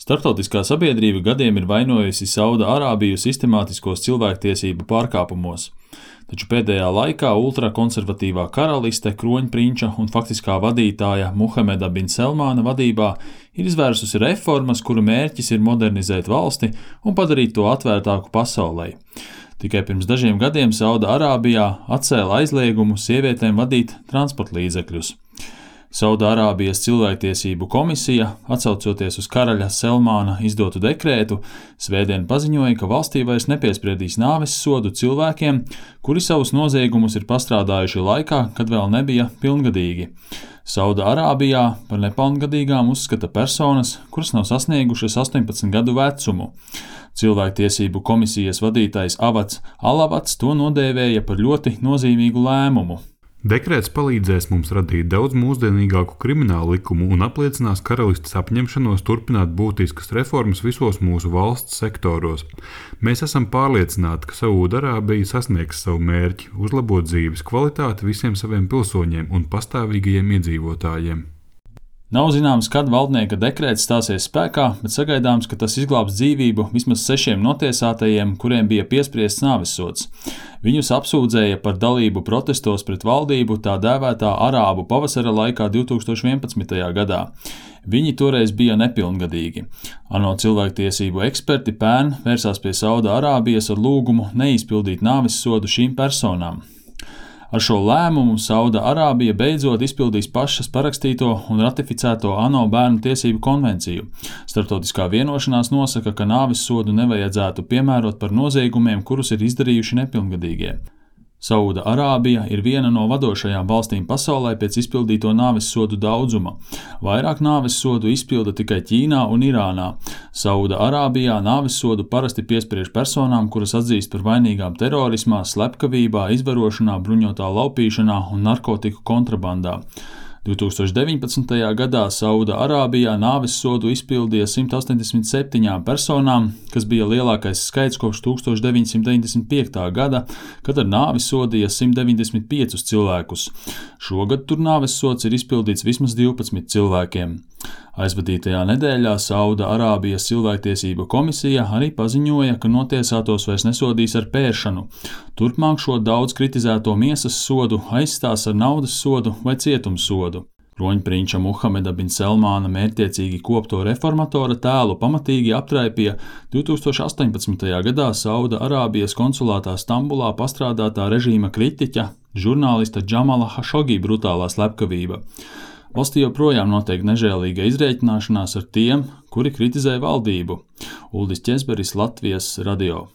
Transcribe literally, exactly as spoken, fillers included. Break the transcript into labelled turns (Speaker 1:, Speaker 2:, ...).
Speaker 1: Startautiskā sabiedrība gadiem ir vainojusi Saudārābiju sistemātiskos cilvēktiesību pārkāpumos, taču pēdējā laikā ultrakonservatīvā karaliste, kroņprinča un faktiskā vadītāja Muhameda bin Selmāna vadībā ir izvērsusi reformas, kuru mērķis ir modernizēt valsti un padarīt to atvērtāku pasaulei. Tikai pirms dažiem gadiem Saudārābijā atcēla aizliegumu sievietēm vadīt transportlīdzekļus. Saudārābijas cilvēktiesību komisija, atsaucoties uz karaļa Selmāna izdotu dekrētu, svētdien paziņoja, ka valstī vairs nepiespriedīs nāves sodu cilvēkiem, kuri savus noziegumus ir pastrādājuši laikā, kad vēl nebija pilngadīgi. Saudārābijā par nepilngadīgām uzskata personas, kuras nav sasniegušas astoņpadsmit gadu vecumu. Cilvēktiesību komisijas vadītājs Avads Alavats to nodēvēja par ļoti nozīmīgu lēmumu.
Speaker 2: Dekrēts palīdzēs mums radīt daudz mūsdienīgāku kriminālu likumu un apliecinās karalistes apņemšanos turpināt būtiskas reformas visos mūsu valsts sektoros. Mēs esam pārliecināti, ka Saudārābija sasniegs savu mērķi – uzlabot dzīves kvalitāti visiem saviem pilsoņiem un pastāvīgajiem iedzīvotājiem.
Speaker 1: Nav zināms, kad valdnieka dekrēts stāsies spēkā, bet sagaidāms, ka tas izglābs dzīvību vismaz sešiem notiesātajiem, kuriem bija piespriests nāvessods. Viņus apsūdzēja par dalību protestos pret valdību tā dēvētā arābu pavasara laikā divtūkstoš vienpadsmitajā gadā. Viņi toreiz bija nepilngadīgi. ANO cilvēktiesību eksperti pērn vērsās pie Saudārābijas ar lūgumu neizpildīt nāvessodu šīm personām. Ar šo lēmumu Saudārābija beidzot izpildīs pašas parakstīto un ratificēto ANO bērnu tiesību konvenciju. Starptautiskā vienošanās nosaka, ka nāvessodu nevajadzētu piemērot par noziegumiem, kurus ir izdarījuši nepilngadīgie. Saudārābija ir viena no vadošajām valstīm pasaulē pēc izpildīto nāvessodu daudzuma. Vairāk nāvessodu izpilda tikai Ķīnā un Irānā. Saudārābijā nāvessodu parasti piespriež personām, kuras atzīst par vainīgām terorismā, slepkavībā, izvarošanā, bruņotā laupīšanā un narkotiku kontrabandā. divtūkstoš deviņpadsmitajā gadā Saudārābijā nāvessodu izpildīja simt astoņdesmit septiņām personām, kas bija lielākais skaits kopš tūkstoš deviņsimt deviņdesmit piektā gada, kad ar nāvi sodīja simt deviņdesmit piecus cilvēkus. Šogad tur nāvessods ir izpildīts vismaz divpadsmit cilvēkiem. Aizvadītajā nedēļā Saudārābijas cilvēktiesību komisija arī paziņoja, ka notiesātos vairs nesodīs ar pēršanu. Turpmāk šo daudz kritizēto miesas sodu aizstās ar naudas sodu vai cietumsodu. Kroņprinča Muhameda bin Selmāna mērķtiecīgi kopto reformatora tēlu pamatīgi aptraipīja divtūkstoš astoņpadsmitajā gadā Saudārābijas konsulātā Stambulā pastrādātā režīma kritiķa, žurnālista Džamala Hašogī brutālā slepkavība. Valstī joprojām notiek nežēlīga izrēķināšanās ar tiem, kuri kritizē valdību. Uldis Ķezberis, Latvijas radio.